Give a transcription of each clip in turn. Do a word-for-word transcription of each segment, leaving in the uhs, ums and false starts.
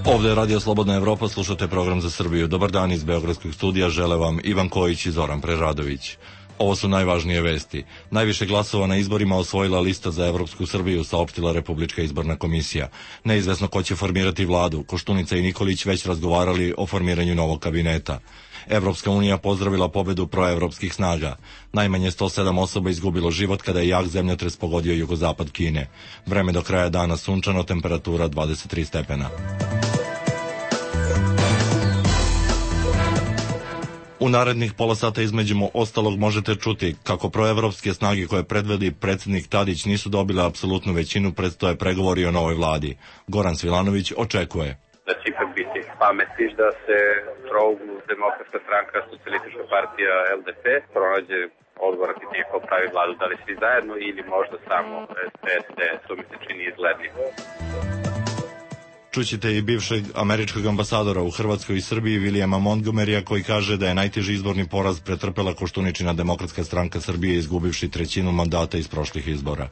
Ovde je Radio Slobodna Evropa, slušate program za Srbiju. Dobar dan iz Beogradskog studija, žele vam Ivan Kojić i Zoran Preradović. Ovo su najvažnije vesti. Najviše glasova na izborima osvojila lista za Evropsku Srbiju, saopštila Republička izborna komisija. Neizvesno ko će formirati vladu. Koštunica i Nikolić već razgovarali o formiranju novog kabineta. Evropska unija pozdravila pobedu proevropskih snaga. Najmanje sto sedam osoba izgubilo život kada je jak zemljotres pogodio jugozapad Kine. Vreme do kraja dana sunčano, temperatura dvadeset tri stepena. U narednih pola sata između ostalog možete čuti kako proevropske snage koje predvodi predsjednik Tadić nisu dobile apsolutnu većinu, predstoje pregovori o novoj vladi. Goran Svilanović očekuje da će ipak biti pameti da se trouglu Demokratska stranka, Socijalistička partija, L D P pronađe odgovor ako neko pravi vladu, da li svi zajedno ili možda samo S D, to mi se čini izglednije. Čućete i bivšeg američkog ambasadora u Hrvatskoj i Srbiji Williama Montgomerya koji kaže da je najteži izborni poraz pretrpela Koštuničina Demokratska stranka Srbije izgubivši trećinu mandata iz prošlih izbora.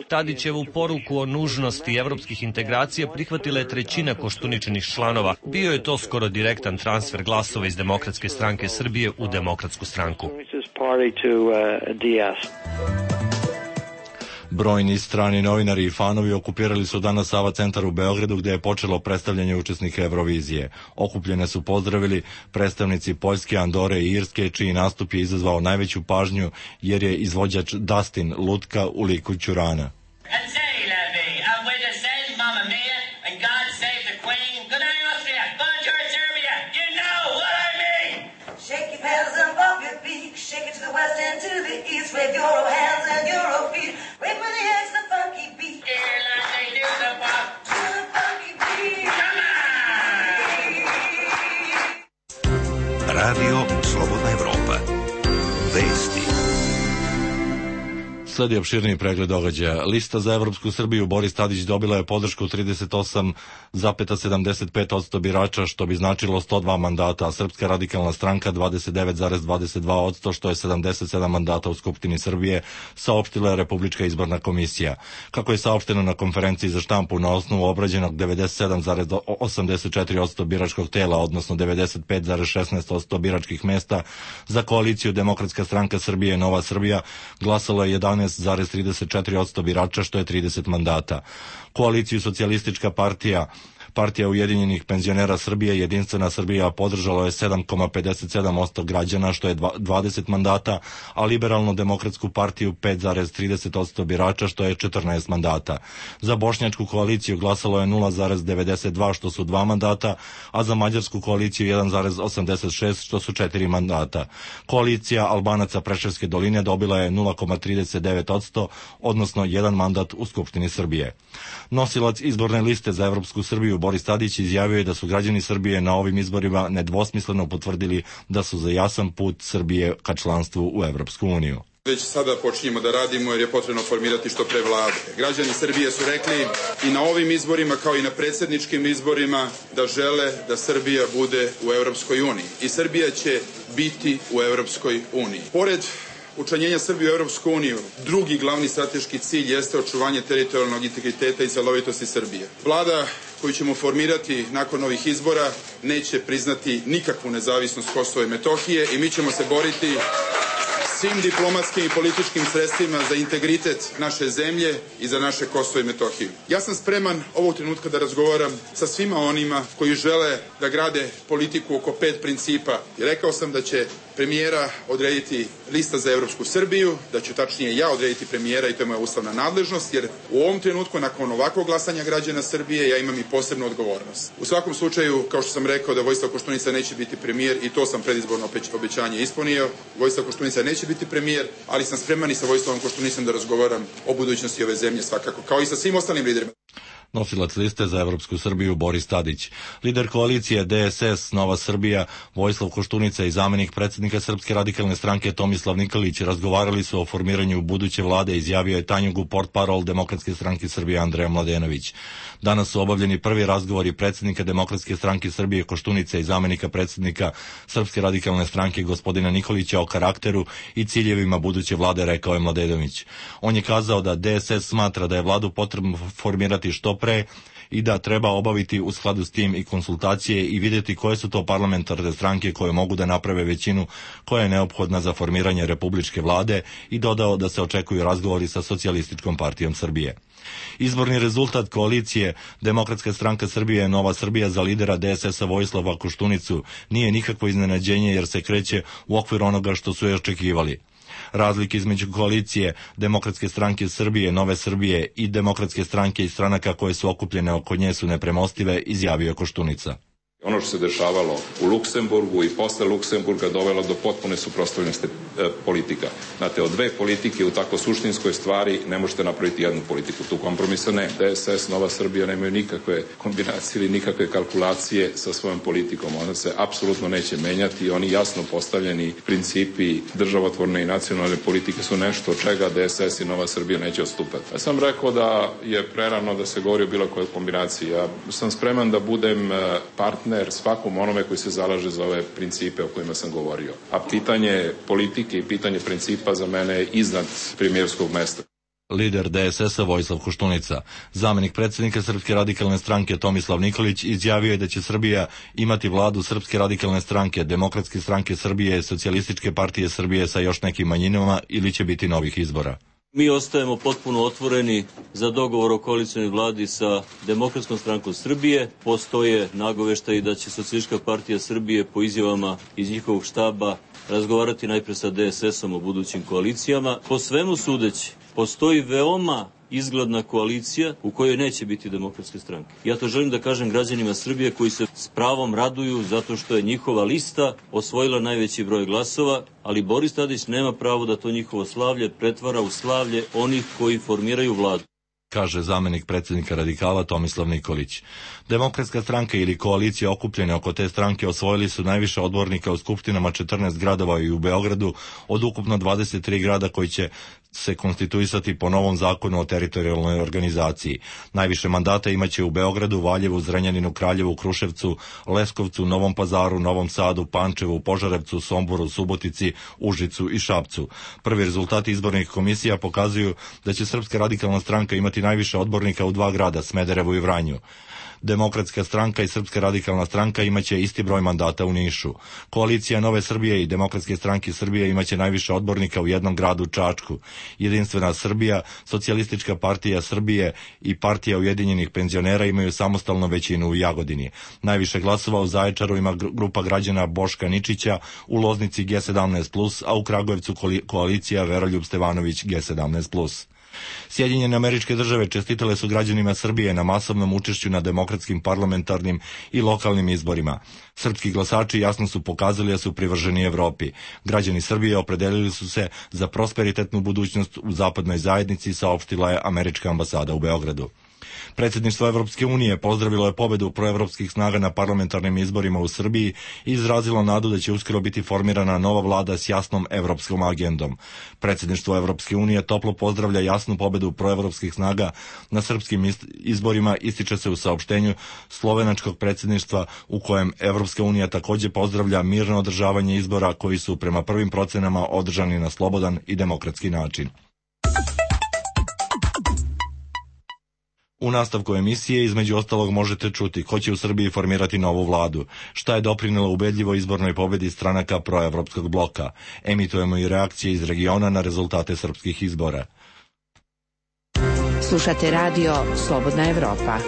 Tadićevu poruku o nužnosti evropskih integracija prihvatila je trećina Koštuničinih članova. Bio je to skoro direktan transfer glasova iz Demokratske stranke Srbije u Demokratsku stranku. Brojni strani novinari i fanovi okupirali su danas Sava centar u Beogradu gde je počelo predstavljanje učesnika Eurovizije. Okupljene su pozdravili predstavnici Poljske, Andore i Irske, čiji nastup je izazvao najveću pažnju jer je izvođač Dustin Lutka u liku Ćurana. Shake it to the west and to the east with your hands and your feet. Wait for the X, the funky beat. Yeah, like they do the pop. To the funky beat. Come on! Radio Slobodna Evropa. Vesti. Sledi opširniji pregled događaja. Lista za Evropsku Srbiju Boris Tadić dobila je podršku trideset osam zarez sedamdeset pet posto birača, što bi značilo sto dva mandata, a Srpska radikalna stranka dvadeset devet zarez dvadeset dva posto, što je sedamdeset sedam mandata u Skupštini Srbije, saopštila je Republička izborna komisija. Kako je saopšteno na konferenciji za štampu, na osnovu obrađenog devedeset sedam zarez osamdeset četiri posto biračkog tela, odnosno devedeset pet zarez šesnaest posto biračkih mesta, za koaliciju Demokratska stranka Srbije i Nova Srbija glasalo je jedanaest zarez trideset četiri posto birača, što je trideset mandata. Koaliciju Socijalistička partija, Partija Ujedinjenih penzionera Srbije i Jedinstvena Srbija podržalo je sedam zarez pedeset sedam posto građana, što je dvadeset mandata, a Liberalno-demokratsku partiju pet zarez trideset posto birača, što je četrnaest mandata. Za Bošnjačku koaliciju glasalo je nula zarez devedeset dva, što su dva mandata, a za Mađarsku koaliciju jedan zarez osamdeset šest, što su četiri mandata. Koalicija Albanaca Preševske doline dobila je nula zarez trideset devet posto, odnosno jedan mandat u Skupštini Srbije. Nosilac izborne liste za Evropsku Srbiju Boris Tadić izjavio je da su građani Srbije na ovim izborima nedvosmisleno potvrdili da su za jasan put Srbije ka članstvu u Evropsku uniju. Već sada počinjemo da radimo jer je potrebno formirati što pre vlade. Građani Srbije su rekli i na ovim izborima kao i na predsjedničkim izborima da žele da Srbija bude u Evropskoj uniji. I Srbija će biti u Evropskoj uniji. Pored učlanjenja Srbije u Evropsku uniju, drugi glavni strateški cilj jeste očuvanje teritorijalnog integriteta i celovitosti Srbije. Vlada koju ćemo formirati nakon ovih izbora neće priznati nikakvu nezavisnost Kosova i Metohije i mi ćemo se boriti svim diplomatskim i političkim sredstvima za integritet naše zemlje i za naše Kosovo i Metohiju. Ja sam spreman ovog trenutka da razgovaram sa svima onima koji žele da grade politiku oko pet principa. I rekao sam da će premijera odrediti lista za Evropsku Srbiju, da ću tačnije ja odrediti premijera i to je moja ustavna nadležnost, jer u ovom trenutku, nakon ovakvog glasanja građana Srbije, ja imam i posebnu odgovornost. U svakom slučaju, kao što sam rekao da Vojislav Koštunica neće biti premijer i to sam predizborno obećanje ispunio, Vojislav Koštunica neće biti premijer, ali sam spreman i sa Vojislavom Koštunicom da razgovaram o budućnosti ove zemlje svakako, kao i sa svim ostalim liderima. Nosilac liste za Evropsku Srbiju Boris Tadić. Lider koalicije D S S Nova Srbija Vojislav Koštunica i zamenik predsjednika Srpske radikalne stranke Tomislav Nikolić razgovarali su o formiranju buduće vlade, izjavio je Tanjugu portparol Demokratske stranke Srbije Andreja Mladenović. Danas su obavljeni prvi razgovori predsjednika Demokratske stranke Srbije Koštunice i zamenika predsjednika Srpske radikalne stranke gospodina Nikolića o karakteru i ciljevima buduće vlade, rekao je Mladenović. On je kazao da D S S smatra da je vladu potrebno formirati što pre i da treba obaviti u skladu s tim i konsultacije i vidjeti koje su to parlamentarne stranke koje mogu da naprave većinu koja je neophodna za formiranje republičke vlade i dodao da se očekuju razgovori sa Socijalističkom partijom Srbije. Izborni rezultat koalicije Demokratska stranka Srbije Nova Srbija za lidera D S S-a Vojislava Koštunicu nije nikakvo iznenađenje jer se kreće u okvir onoga što su je očekivali. Razlike između koalicije Demokratske stranke Srbije, Nove Srbije i Demokratske stranke i stranaka koje su okupljene oko nje su nepremostive, izjavio Koštunica. Ono što se dešavalo u Luksemburgu i posle Luksemburga dovelo do potpune suprotstavljenosti e, politika. Znate, od dve politike u tako suštinskoj stvari ne možete napraviti jednu politiku. Tu kompromisa ne. D S S, Nova Srbija nemaju nikakve kombinacije ili nikakve kalkulacije sa svojom politikom. Ona se apsolutno neće menjati i oni jasno postavljeni principi državotvorne i nacionalne politike su nešto od čega D S S i Nova Srbija neće odstupati. Ja sam rekao da je prerano da se govori o bilo kojoj kombinaciji. Ja sam spreman da budem partner svakom onome koji se zalaže za ove principe o kojima sam govorio. A pitanje politike i pitanje principa za mene je iznad premijerskog mesta. Lider D S S-a Vojislav Koštunica. Zamenik predsjednika Srpske radikalne stranke Tomislav Nikolić izjavio je da će Srbija imati vladu Srpske radikalne stranke, Demokratske stranke Srbije, Socijalističke partije Srbije sa još nekim manjinama ili će biti novih izbora. Mi ostajemo potpuno otvoreni za dogovor o koalicionoj vladi sa Demokratskom strankom Srbije. Postoje nagoveštaji da će Socijalistička partija Srbije po izjavama iz njihovog štaba razgovarati najpre sa D S S-om o budućim koalicijama. Po svemu sudeći, postoji veoma izgledna koalicija u kojoj neće biti Demokratske stranke. Ja to želim da kažem građanima Srbije koji se s pravom raduju zato što je njihova lista osvojila najveći broj glasova, ali Boris Tadić nema pravo da to njihovo slavlje pretvara u slavlje onih koji formiraju vladu, kaže zamenik predsjednika radikala Tomislav Nikolić. Demokratska stranka ili koalicija okupljene oko te stranke osvojili su najviše odbornika u skupštinama četrnaest gradova i u Beogradu od ukupno dvadeset tri grada koji će se konstituisati po novom zakonu o teritorijalnoj organizaciji. Najviše mandata imaće u Beogradu, Valjevu, Zrenjaninu, Kraljevu, Kruševcu, Leskovcu, Novom Pazaru, Novom Sadu, Pančevu, Požarevcu, Somboru, Subotici, Užicu i Šapcu. Prvi rezultati izbornih komisija pokazuju da će Srpska radikalna stranka imati najviše odbornika u dva grada, Smederevu i Vranju. Demokratska stranka i Srpska radikalna stranka imaće isti broj mandata u Nišu. Koalicija Nove Srbije i Demokratske stranke Srbije imaće najviše odbornika u jednom gradu, Čačku. Jedinstvena Srbija, Socijalistička partija Srbije i Partija ujedinjenih penzionera imaju samostalnu većinu u Jagodini. Najviše glasova u Zaječaru ima grupa građana Boška Ničića, u Loznici G sedamnaest plus, a u Kragujevcu koalicija Veroljub Stevanović G sedamnaest plus. Sjedinjene Američke Države čestitale su građanima Srbije na masovnom učešću na demokratskim, parlamentarnim i lokalnim izborima. Srpski glasači jasno su pokazali da su privrženi Evropi. Građani Srbije opredelili su se za prosperitetnu budućnost u zapadnoj zajednici, saopštila je Američka ambasada u Beogradu. Predsjedništvo Evropske unije pozdravilo je pobedu proevropskih snaga na parlamentarnim izborima u Srbiji i izrazilo nadu da će uskoro biti formirana nova vlada s jasnom evropskom agendom. Predsjedništvo Evropske unije toplo pozdravlja jasnu pobedu proevropskih snaga na srpskim izborima, ističe se u saopštenju slovenačkog predsjedništva u kojem Evropska unija također pozdravlja mirno održavanje izbora koji su prema prvim procenama održani na slobodan i demokratski način. U nastavku emisije između ostalog možete čuti ko će u Srbiji formirati novu vladu, šta je doprinelo ubedljivo izbornoj pobedi stranaka proevropskog bloka. Emitujemo i reakcije iz regiona na rezultate srpskih izbora. Slušate radio Slobodna Evropa.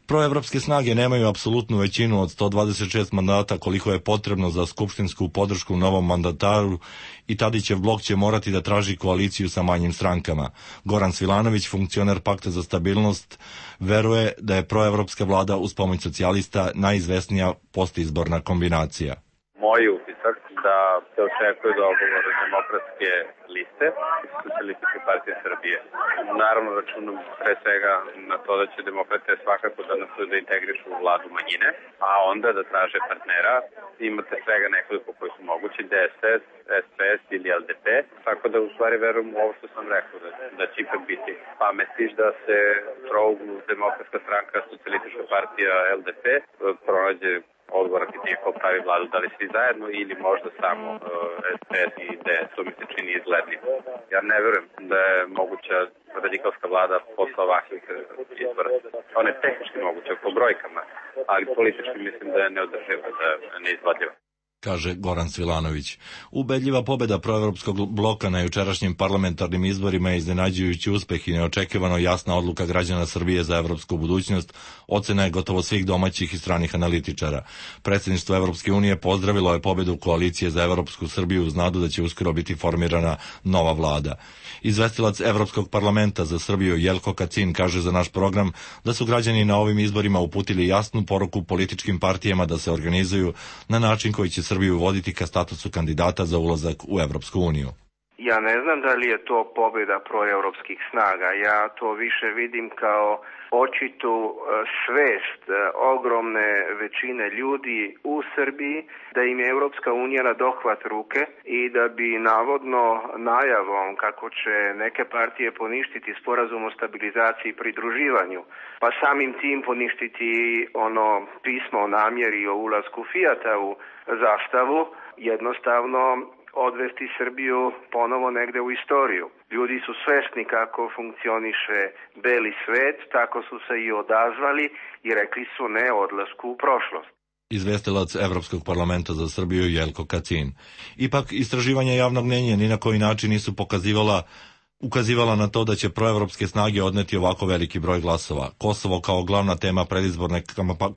Proevropske snage nemaju apsolutnu većinu od sto dvadeset šest mandata koliko je potrebno za skupštinsku podršku novom mandataru i Tadićev blok će morati da traži koaliciju sa manjim strankama. Goran Svilanović, funkcioner Pakta za stabilnost, veruje da je proevropska vlada uz pomoć socijalista najizvesnija postizborna kombinacija. Moj utisak da se očekuje dogovor demokratske liste i Socijalističke partije Srbije. Naravno računam pre svega na to da će demokrate svakako da nastoje da integrišu u vladu manjine, a onda da traže partnera. Imate svega nekoliko koji su mogući, D S S, S P S ili L D P, tako da u stvari verujem u ovo što sam rekao, da, da će ipak biti. Pa misliš da se trouglu Demokratska stranka, Socijalistička partija, L D P pronađe odgovor pitanje ko pravi vladu, da li svi zajedno ili možda samo uh, S P S i D S, to mi se čini izglednim. Ja ne verujem da je moguća radikalska vlada posle ovakvih izbora. Ona je tehnički moguća po brojkama, ali politički mislim da je neodrživa, da je neizvodljiva, kaže Goran Svilanović. Ubedljiva pobeda proevropskog bloka na jučerašnjim parlamentarnim izborima je iznenađujući uspeh i neočekivano jasna odluka građana Srbije za evropsku budućnost, ocena je gotovo svih domaćih i stranih analitičara. Predsjedništvo Evropske unije pozdravilo je pobedu koalicije za evropsku Srbiju uz nadu da će uskoro biti formirana nova vlada. Izvestilac Evropskog parlamenta za Srbiju Jelko Kacin kaže za naš program da su građani na ovim izborima uputili jasnu poruku političkim partijama da se organizuju na način koji će Srbiju voditi ka statusu kandidata za ulazak u Evropsku uniju. Ja ne znam da li je to pobjeda proevropskih snaga. Ja to više vidim kao očitu svest ogromne većine ljudi u Srbiji da im je Evropska unija na dohvat ruke i da bi navodno najavom kako će neke partije poništiti sporazum o stabilizaciji i pridruživanju, pa samim tim poništiti ono pismo o namjeri o ulasku Fijata u zastavu, jednostavno odvesti Srbiju ponovo negde u istoriju. Ljudi su svesni kako funkcioniše beli svet, tako su se i odazvali i rekli su ne odlasku u prošlost. Izvestilac Evropskog parlamenta za Srbiju Jelko Kacin. Ipak, istraživanja javnog mnjenja ni na koji način nisu pokazivala ukazivala na to da će proevropske snage odneti ovako veliki broj glasova. Kosovo kao glavna tema predizborne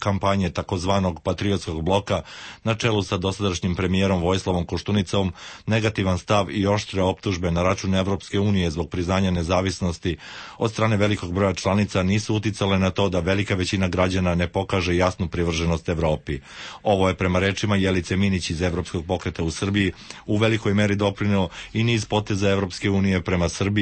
kampanje takozvanog patriotskog bloka na čelu sa dosadašnjim premijerom Vojislavom Koštunicom, negativan stav i oštre optužbe na račun Evropske unije zbog priznanja nezavisnosti od strane velikog broja članica nisu uticale na to da velika većina građana ne pokaže jasnu privrženost Evropi. Ovo je prema rečima Jelice Minić iz Evropskog pokreta u Srbiji u velikoj meri doprineo i niz poteza Evropske unije prema Srbiji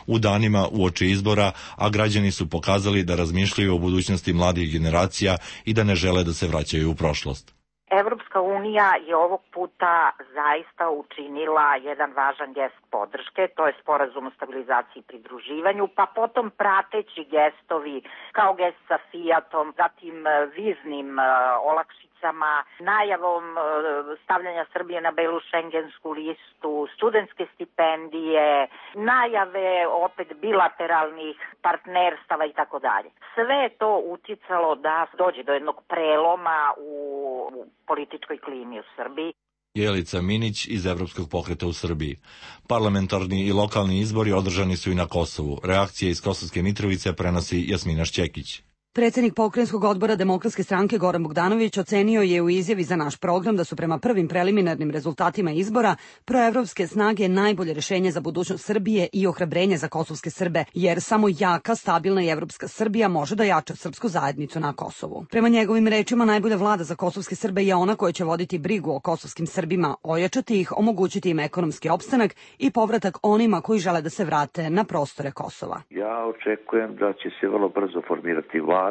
u danima uoči izbora, a građani su pokazali da razmišljaju o budućnosti mladih generacija i da ne žele da se vraćaju u prošlost. Evropska unija je ovog puta zaista učinila jedan važan gest podrške, to je sporazum o stabilizaciji i pridruživanju, pa potom prateći gestovi kao gest sa Fijatom, zatim viznim olakšicama, najavom stavljanja Srbije na belu šengensku listu, studentske stipendije, najave opet bilateralnih partnerstava i tako dalje. Sve je to uticalo da dođe do jednog preloma u političkoj klimi u Srbiji. Jelica Minić iz Evropskog pokreta u Srbiji. Parlamentarni i lokalni izbori održani su i na Kosovu. Reakcije iz Kosovske Mitrovice prenosi Jasmina Šćekić. Predsjednik pokrajinskog odbora Demokratske stranke Goran Bogdanović ocenio je u izjavi za naš program da su prema prvim preliminarnim rezultatima izbora proevropske snage najbolje rješenje za budućnost Srbije i ohrabrenje za kosovske Srbe, jer samo jaka, stabilna i evropska Srbija može da jača srpsku zajednicu na Kosovu. Prema njegovim rečima, najbolja vlada za kosovske Srbe je ona koja će voditi brigu o kosovskim Srbima, ojačati ih, omogućiti im ekonomski opstanak i povratak onima koji žele da se vrate na prostore Kosova. Ja očekujem da će se vrlo brzo formirati vlada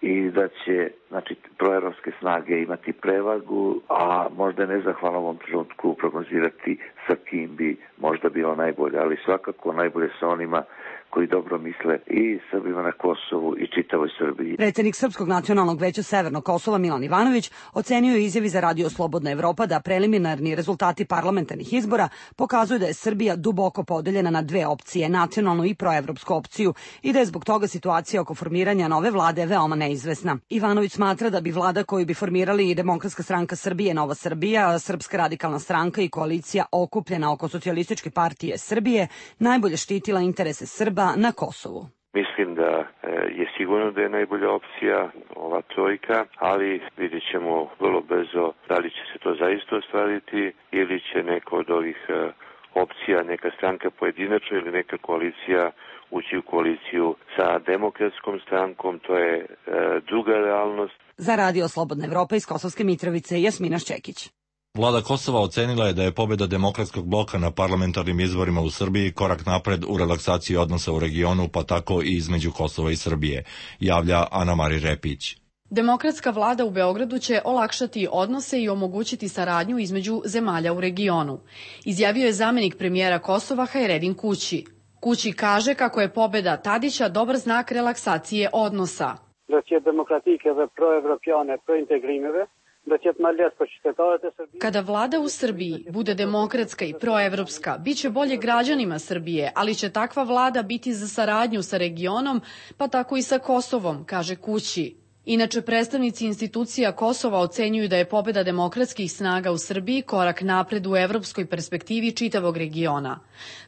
i da će, znači, proevropske snage imati prevagu, a možda je nezahvalno u ovom trenutku prognozirati sa kim bi možda bilo najbolje, ali svakako najbolje sa onima koji dobro misle i Srbima na Kosovu i čitavoj Srbiji. Predsjednik Srpskog nacionalnog veća Severnog Kosova Milan Ivanović ocenio je izjavi za Radio Slobodna Evropa da preliminarni rezultati parlamentarnih izbora pokazuju da je Srbija duboko podeljena na dve opcije, nacionalnu i proevropsku opciju, i da je zbog toga situacija oko formiranja nove vlade veoma neizvesna. Ivanović smatra da bi vlada koju bi formirali i Demokratska stranka Srbije, Nova Srbija, Srpska radikalna stranka i koalicija okupljena oko Socijalističke partije Srbije najbolje štitila interese Srba na Kosovu. Mislim da je sigurno da je najbolja opcija ova trojka, ali vidjet ćemo vrlo brzo da li će se to zaista ostvariti ili će neka od ovih opcija, neka stranka pojedinačno ili neka koalicija ući u koaliciju sa Demokratskom strankom, to je druga realnost. Za Radio Slobodna Evropa iz Kosovske Mitrovice, Jasmina Šćekić. Vlada Kosova ocenila je da je pobjeda demokratskog bloka na parlamentarnim izborima u Srbiji korak napred u relaksaciji odnosa u regionu, pa tako i između Kosova i Srbije, javlja Ana Mari Repić. Demokratska vlada u Beogradu će olakšati odnose i omogućiti saradnju između zemalja u regionu, izjavio je zamenik premijera Kosova Hajredin Kući. Kući kaže kako je pobjeda Tadića dobar znak relaksacije odnosa. Kada vlada u Srbiji bude demokratska i proevropska, bit će bolje građanima Srbije, ali će takva vlada biti za saradnju sa regionom, pa tako i sa Kosovom, kaže Kući. Inače, predstavnici institucija Kosova ocenjuju da je pobjeda demokratskih snaga u Srbiji korak napred u evropskoj perspektivi čitavog regiona.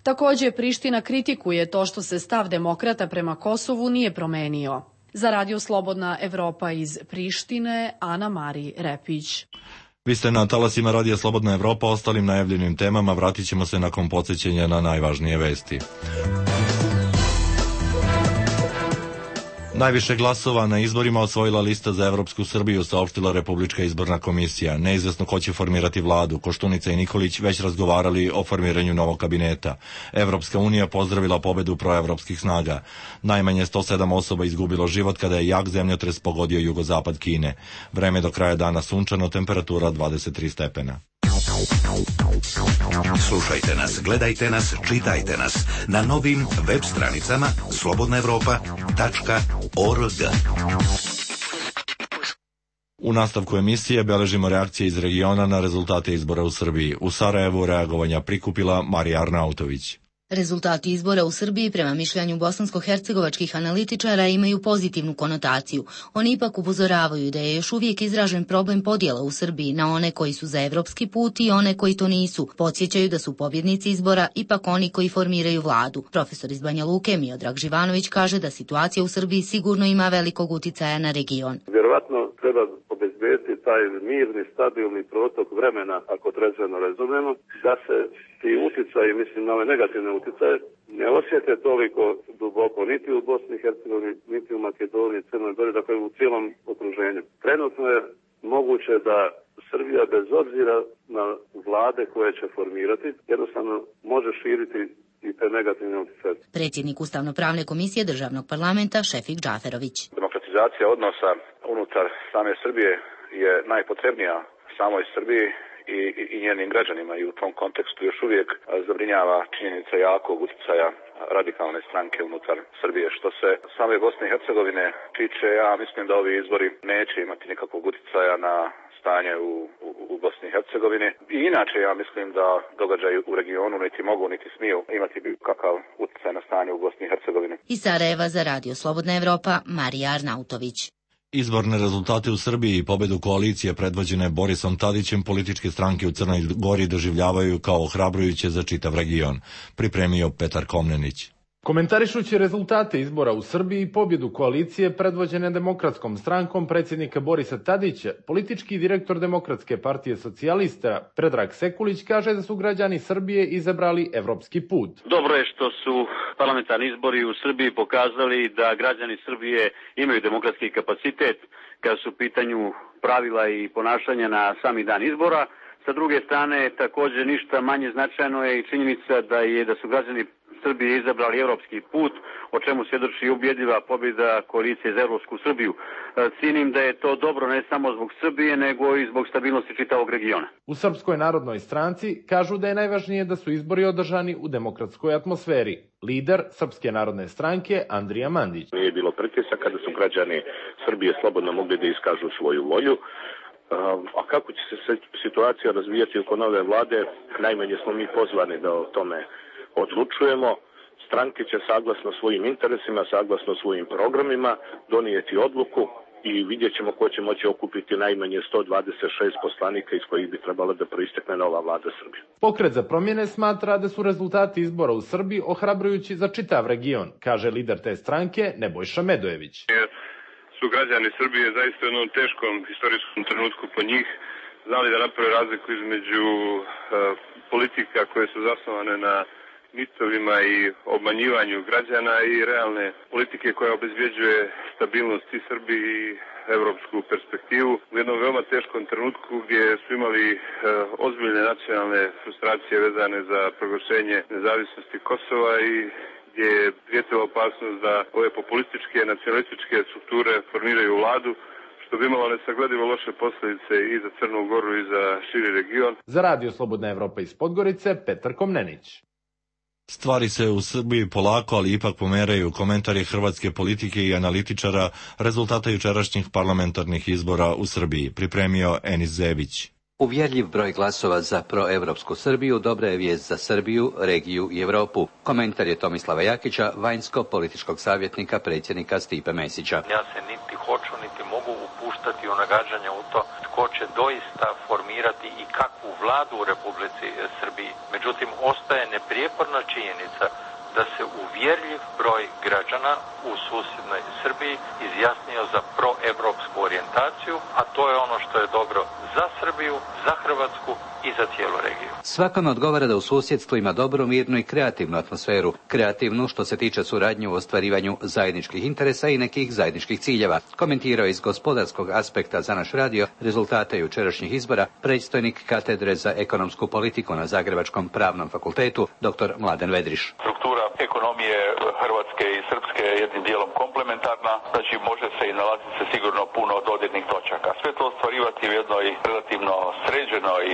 Takođe, Priština kritikuje to što se stav demokrata prema Kosovu nije promenio. Za Radio Slobodna Evropa iz Prištine, Ana Mari Repić. Vi ste na talasima Radija Slobodna Evropa, ostalim najavljenim temama vratit ćemo se nakon podsjećanja na najvažnije vesti. Najviše glasova na izborima osvojila lista za Evropsku Srbiju, saopštila Republička izborna komisija. Neizvesno ko će formirati vladu. Koštunica i Nikolić već razgovarali o formiranju novog kabineta. Evropska unija pozdravila pobedu proevropskih snaga. Najmanje sto sedam osoba izgubilo život kada je jak zemljotres pogodio jugozapad Kine. Vreme do kraja dana sunčano, temperatura dvadeset tri stepena. Slušajte nas, gledajte nas, čitajte nas na novim web stranicama slobodna evropa tačka org. U nastavku emisije beležimo reakcije iz regiona na rezultate izbora u Srbiji. U Sarajevu reagovanja prikupila Marija Arnautović. Rezultati izbora u Srbiji prema mišljenju bosansko-hercegovačkih analitičara imaju pozitivnu konotaciju. Oni ipak upozoravaju da je još uvijek izražen problem podjela u Srbiji na one koji su za evropski put i one koji to nisu. Podsjećaju da su pobjednici izbora ipak oni koji formiraju vladu. Profesor iz Banja Luke Miodrag Živanović kaže da situacija u Srbiji sigurno ima velikog uticaja na region. Vjerovatno treba obezbediti taj mirni, stabilni protok vremena, ako trezveno razumemo, da se ti uticaji, mislim na ove negativne uticaje, ne osjete toliko duboko niti u Bosni i Hercegovini, niti u Makedoniji, Crnoj Gori, dakle u cijelom okruženju. Trenutno je moguće da Srbija bez obzira na vlade koje će formirati, jednostavno može širiti i te negativne uticaje. Predsjednik Ustavno-pravne komisije Državnog parlamenta Šefik Džaferović. Demokratizacija odnosa unutar same Srbije je najpotrebnija samoj Srbiji i, i, i njenim građanima i u tom kontekstu još uvijek zabrinjava činjenica jakog utjecaja radikalne stranke unutar Srbije. Što se same Bosne i Hercegovine tiče, ja mislim da ovi izbori neće imati nikakvog utjecaja na stanje u, u, u Bosni i Hercegovini. I inače ja mislim da događaji u regionu niti mogu niti smiju imati kakav utjecaj na stanje u Bosni i Hercegovini. Iz Sarajeva za Radio Slobodna Evropa, Marija Arnautović. Izborne rezultate u Srbiji i pobedu koalicije predvođene Borisom Tadićem političke stranke u Crnoj Gori doživljavaju kao ohrabrujuće za čitav region, pripremio Petar Komnenić. Komentarišući rezultate izbora u Srbiji i pobjedu koalicije predvođene Demokratskom strankom predsjednika Borisa Tadića, politički direktor Demokratske partije socijalista Predrag Sekulić kaže da su građani Srbije izabrali evropski put. Dobro je što su parlamentarni izbori u Srbiji pokazali da građani Srbije imaju demokratski kapacitet kada su u pitanju pravila i ponašanja na sami dan izbora. Sa druge strane, također ništa manje značajno je i činjenica da je da su građani Srbije izabrali evropski put, o čemu svjedoči ubjedljiva pobjeda koalicije za Evropsku Srbiju. Cijenim da je to dobro ne samo zbog Srbije, nego i zbog stabilnosti čitavog regiona. U Srpskoj narodnoj stranci kažu da je najvažnije da su izbori održani u demokratskoj atmosferi. Lider Srpske narodne stranke Andrija Mandić. Nije bilo pritisaka da su građani Srbije slobodno mogli da iskažu svoju volju. A kako će se situacija razvijati oko nove vlade, najmanje smo mi pozvani da o tome odlučujemo. Stranke će saglasno svojim interesima, saglasno svojim programima donijeti odluku i vidjet ćemo ko će moći okupiti najmanje sto dvadeset šest poslanika iz kojih bi trebala da proistekne nova vlada Srbije. Pokret za promjene smatra da su rezultati izbora u Srbiji ohrabrujući za čitav region, kaže lider te stranke Nebojša Medojević. Su građani Srbije zaista u jednom teškom historijskom trenutku po njih znali da naprave razliku između uh, politika koje su zasnovane na mitovima i obmanjivanju građana i realne politike koja obezbjeđuje stabilnost i Srbiji i evropsku perspektivu u jednom veoma teškom trenutku gdje su imali e, ozbiljne nacionalne frustracije vezane za proglašenje nezavisnosti Kosova i gdje je prijetila opasnost da ove populističke, nacionalističke strukture formiraju vladu, što bi imalo nesagledivo loše posljedice i za Crnu Goru i za širi region. Za Radio Slobodna Evropa iz Podgorice, Petar Komnenić. Stvari se u Srbiji polako, ali ipak pomeraju. Komentar je hrvatske politike i analitičara rezultata jučerašnjih parlamentarnih izbora u Srbiji. Pripremio Enis Zebić. Uvjerljiv broj glasova za proevropsku Srbiju dobra je vijest za Srbiju, regiju i Europu. Komentar je Tomislava Jakića, vanjsko-političkog savjetnika predsjednika Stipe Mesića. Ja se niti hoću, niti mogu upuštati u nagađanje u to tko će doista formirati i kakvu vladu u Republici Srbiji. Međutim, ostaje neprijeporna činjenica da se uvjerljiv broj građana u susjednoj Srbiji izjasnio za proevropsku orijentaciju, a to je ono što je dobro za Srbiju, za Hrvatsku i za cijelu regiju. Svakome odgovara da u susjedstvu ima dobru, mirnu i kreativnu atmosferu. Kreativnu što se tiče suradnje u ostvarivanju zajedničkih interesa i nekih zajedničkih ciljeva. Komentirao iz gospodarskog aspekta za naš radio rezultate jučerašnjih izbora predstojnik katedre za ekonomsku politiku na Zagrebačkom pravnom fakultetu dr. Mladen Vedriš. Struktura ekonomije Hrvatske i Srpske je jednim dijelom komplementarna, znači može se i nalaziti se sigurno puno dodirnih točaka. Sve to ostvarivati u jednoj relativno sređenoj,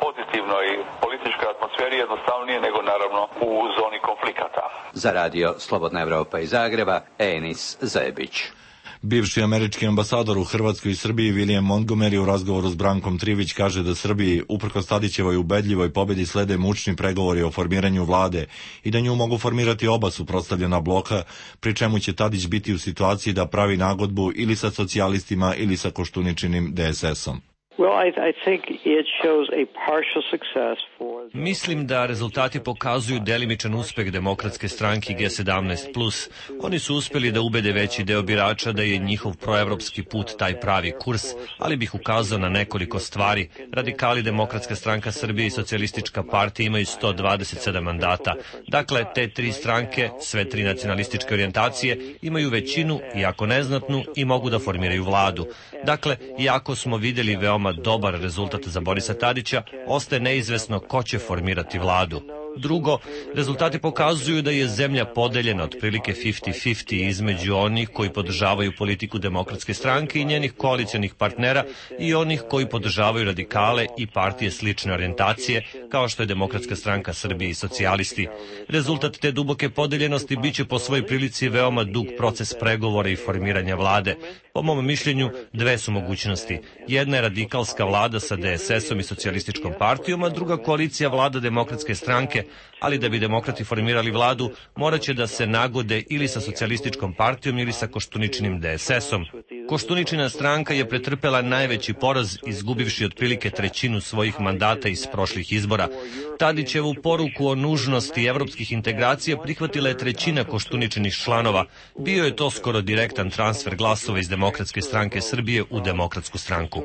pozitivnoj političkoj atmosferi jednostavnije nego naravno u zoni konflikata. Za radio Slobodna Evropa iz Zagreba, Enis Zebić. Bivši američki ambasador u Hrvatskoj i Srbiji William Montgomery u razgovoru s Brankom Trivić kaže da Srbiji, uprkos Tadićevoj ubedljivoj pobjedi, slede mučni pregovori o formiranju vlade i da nju mogu formirati oba suprotstavljena bloka, pri čemu će Tadić biti u situaciji da pravi nagodbu ili sa socijalistima ili sa Koštuničinim D S S-om. Mislim da rezultati pokazuju delimičan uspeh Demokratske stranke G sedamnaest plus. Oni su uspjeli da ubede veći deo birača da je njihov proevropski put taj pravi kurs, ali bih ukazao na nekoliko stvari. Radikali, Demokratska stranka Srbije i Socijalistička partija imaju sto dvadeset sedam mandata. Dakle, te tri stranke, sve tri nacionalističke orijentacije, imaju većinu, iako neznatnu, i mogu da formiraju vladu. Dakle, iako smo vidjeli veoma dobar rezultat za Borisa Tadića, ostaje neizvesno ko će formirati vladu. Drugo, rezultati pokazuju da je zemlja podeljena otprilike pedeset pedeset između onih koji podržavaju politiku Demokratske stranke i njenih koalicijonih partnera i onih koji podržavaju radikale i partije slične orijentacije, kao što je Demokratska stranka Srbije i socijalisti. Rezultat te duboke podeljenosti biće po svojoj prilici veoma dug proces pregovora i formiranja vlade. Po mom mišljenju, dve su mogućnosti. Jedna je radikalska vlada sa D S S-om i socijalističkom partijom, a druga koalicija vlada Demokratske stranke, ali da bi demokrati formirali vladu, morat će da se nagode ili sa socijalističkom partijom ili sa Koštuničinim D S S-om. Koštuničina stranka je pretrpela najveći poraz, izgubivši otprilike trećinu svojih mandata iz prošlih izbora. Tadićevu poruku o nužnosti evropskih integracija prihvatila je trećina Koštuničinih članova. Bio je to skoro direktan transfer glasova iz Demokratske stranke Srbije u Demokratsku stranku.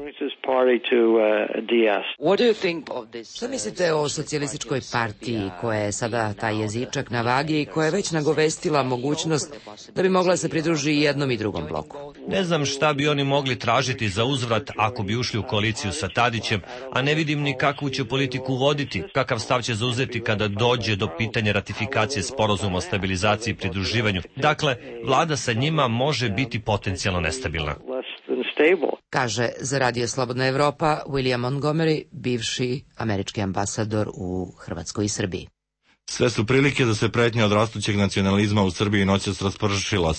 Šta mislite o socijalističkoj partiji koja je sada taj jezičak na vagi i koja je već nagovestila mogućnost da bi mogla se pridruži i jednom i drugom bloku? Ne znam šta bi oni mogli tražiti za uzvrat ako bi ušli u koaliciju sa Tadićem, a ne vidim ni kakvu će politiku voditi, kakav stav će zauzeti kada dođe do pitanja ratifikacije sporazuma o stabilizaciji i pridruživanju. Dakle, vlada sa njima može biti potencijalno nestabilna. Kaže za Radio Slobodna Evropa William Montgomery, bivši američki ambasador u Hrvatskoj i Srbiji. Sve su prilike da se pretnja od rastućeg nacionalizma u Srbiji noćas raspršila,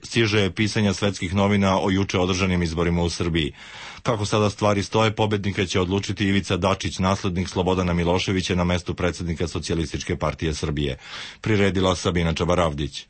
stiže je pisanja svetskih novina o juče održanim izborima u Srbiji. Kako sada stvari stoje, pobednika će odlučiti Ivica Dačić, naslednik Slobodana Miloševića na mestu predsjednika Socijalističke partije Srbije. Priredila Sabina Čabaravdić.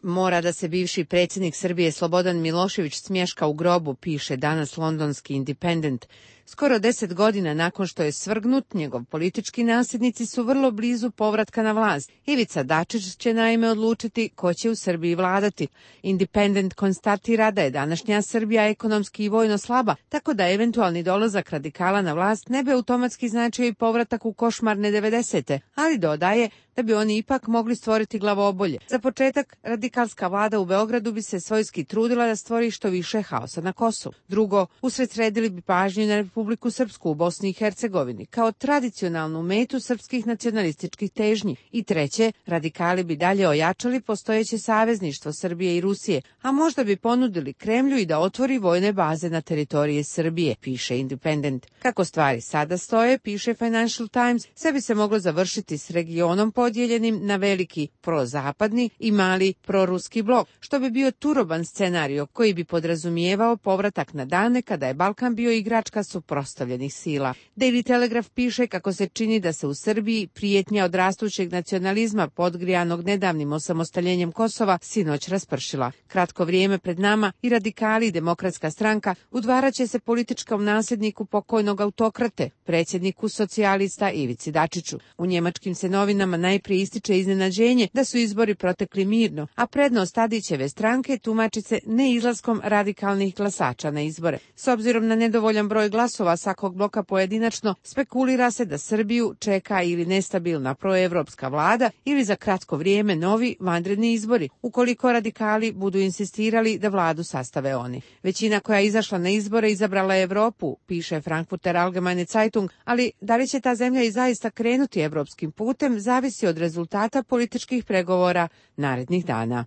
Mora da se bivši predsjednik Srbije Slobodan Milošević smješka u grobu, piše danas londonski Independent. Skoro deset godina nakon što je svrgnut, njegov politički nasljednici su vrlo blizu povratka na vlast. Ivica Dačić će naime odlučiti ko će u Srbiji vladati. Independent konstatira da je današnja Srbija ekonomski i vojno slaba, tako da eventualni dolazak radikala na vlast ne bi automatski značio i povratak u košmarne devedesete, ali dodaje da bi oni ipak mogli stvoriti glavobolje. Za početak, radikalska vlada u Beogradu bi se svojski trudila da stvori što više haosa na Kosovu. Drugo, usredsredili bi pažnju na Republiku Srpsku u Bosni i Hercegovini, kao tradicionalnu metu srpskih nacionalističkih težnji. I treće, radikali bi dalje ojačali postojeće savezništvo Srbije i Rusije, a možda bi ponudili Kremlju i da otvori vojne baze na teritoriji Srbije, piše Independent. Kako stvari sada stoje, piše Financial Times, sve bi se moglo završiti s regionom podijeljenim na veliki prozapadni i mali proruski blok, što bi bio turoban scenario koji bi podrazumijevao povratak na dane kada je Balkan bio igračka suprotstavljenih sila. Daily Telegraph piše kako se čini da se u Srbiji prijetnja od rastućeg nacionalizma podgrijanog nedavnim osamostaljenjem Kosova sinoć raspršila. Kratko vrijeme pred nama i radikali i Demokratska stranka udvaraće se političkom nasljedniku pokojnog autokrate, predsjedniku socijalista Ivici Dačiću. U njemačkim se novinama najprije ističe iznenađenje da su izbori protekli mirno, a prednost Tadićeve stranke tumači se neizlaskom radikalnih glasača na izbore. S obzirom na nedovoljan broj glasova svakog bloka pojedinačno, spekulira se da Srbiju čeka ili nestabilna proevropska vlada ili za kratko vrijeme novi vanredni izbori, ukoliko radikali budu insistirali da vladu sastave oni. Većina koja je izašla na izbore izabrala je Evropu, piše Frankfurter Allgemeine Zeitung, ali da li će ta zemlja i zaista krenuti evropskim putem zavisi od rezultata političkih pregovora narednih dana.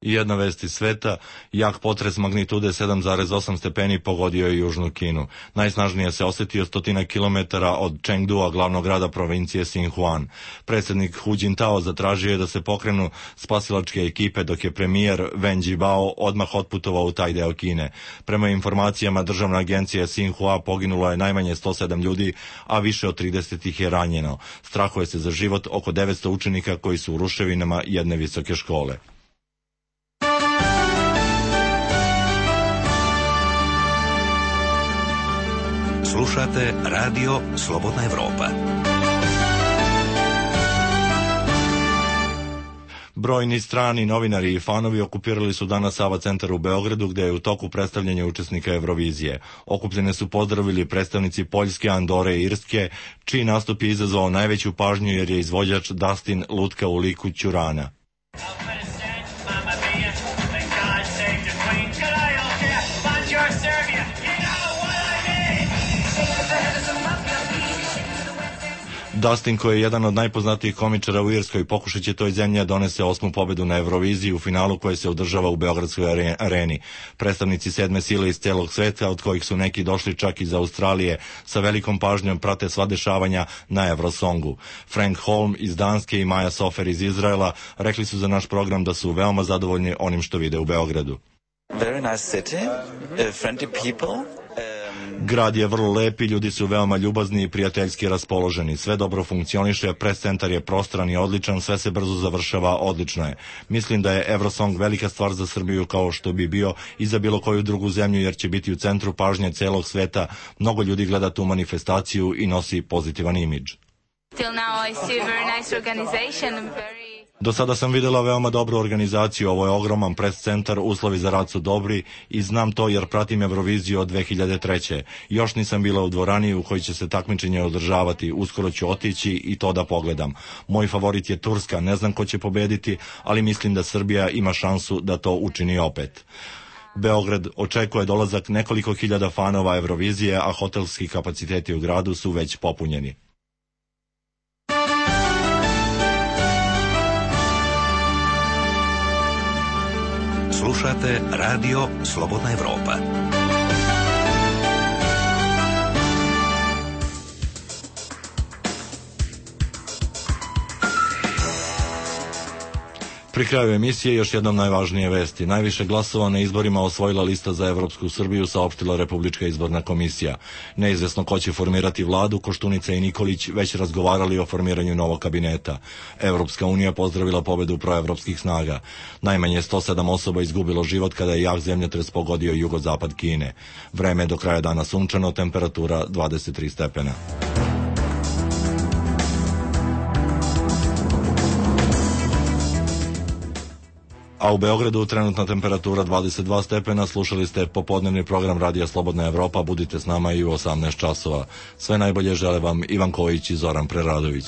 Jedna vest iz sveta, jak potres magnitude sedam zarez osam stepeni pogodio je južnu Kinu. Najsnažnije se osjetio stotina kilometara od Chengdua, glavnog grada provincije Sinhuan. Predsjednik Hu Jintao zatražio je da se pokrenu spasilačke ekipe, dok je premijer Wen Jiabao odmah otputovao u taj deo Kine. Prema informacijama državne agencije Sinhua poginulo je najmanje sto sedam ljudi, a više od trideset ih je ranjeno. Strahuje se za život oko devetsto učenika koji su u ruševinama jedne visoke škole. Slušate Radio Slobodna Evropa. Brojni strani novinari i fanovi okupirali su danas Sava centar u Beogradu, gdje je u toku predstavljanja učesnika Eurovizije. Okupljene su pozdravili predstavnici Poljske, Andore i Irske, čiji nastup je izazvao najveću pažnju jer je izvođač Dustin lutka u liku Ćurana. Dustin, koji je jedan od najpoznatijih komičara u Irskoj, pokušat će toj zemlji donese osmu pobedu na Euroviziji u finalu koje se održava u Beogradskoj areni. Predstavnici sedme sile iz celog sveta, od kojih su neki došli čak iz Australije, sa velikom pažnjom prate sva dešavanja na Eurosongu. Frank Holm iz Danske i Maja Sofer iz Izraela rekli su za naš program da su veoma zadovoljni onim što vide u Beogradu. Very nice city, uh, friendly people. Grad je vrlo lep i ljudi su veoma ljubazni i prijateljski raspoloženi. Sve dobro funkcioniše, pres centar je prostran i odličan, sve se brzo završava, odlično je. Mislim da je Eurosong velika stvar za Srbiju, kao što bi bio i za bilo koju drugu zemlju, jer će biti u centru pažnje celog sveta. Mnogo ljudi gleda tu manifestaciju i nosi pozitivan imidž. Till now I see a very nice organization, very... Do sada sam vidjela veoma dobru organizaciju, ovo je ogroman pres centar, uslovi za rad su dobri i znam to jer pratim Euroviziju od dve hiljade treće. Još nisam bila u dvorani u kojoj će se takmičenje održavati, uskoro ću otići i to da pogledam. Moj favorit je Turska, ne znam ko će pobediti, ali mislim da Srbija ima šansu da to učini opet. Beograd očekuje dolazak nekoliko hiljada fanova Eurovizije, a hotelski kapaciteti u gradu su već popunjeni. Slušate Radio Slobodna Evropa. Pri kraju emisije još jednom najvažnije vesti. Najviše glasova na izborima osvojila lista za Evropsku Srbiju, saopštila Republička izborna komisija. Neizvesno ko će formirati vladu, Koštunica i Nikolić već razgovarali o formiranju novog kabineta. Evropska unija pozdravila pobedu proevropskih snaga. Najmanje sto sedam osoba izgubilo život kada je jak zemljotres pogodio jugozapad Kine. Vreme je do kraja dana sunčano, temperatura dvadeset tri stepena. A u Beogradu trenutna temperatura dvadeset dva stepena. Slušali ste popodnevni program Radija Slobodna Evropa. Budite s nama i u osamnaest časova. Sve najbolje žele vam Ivan Kojić i Zoran Preradović.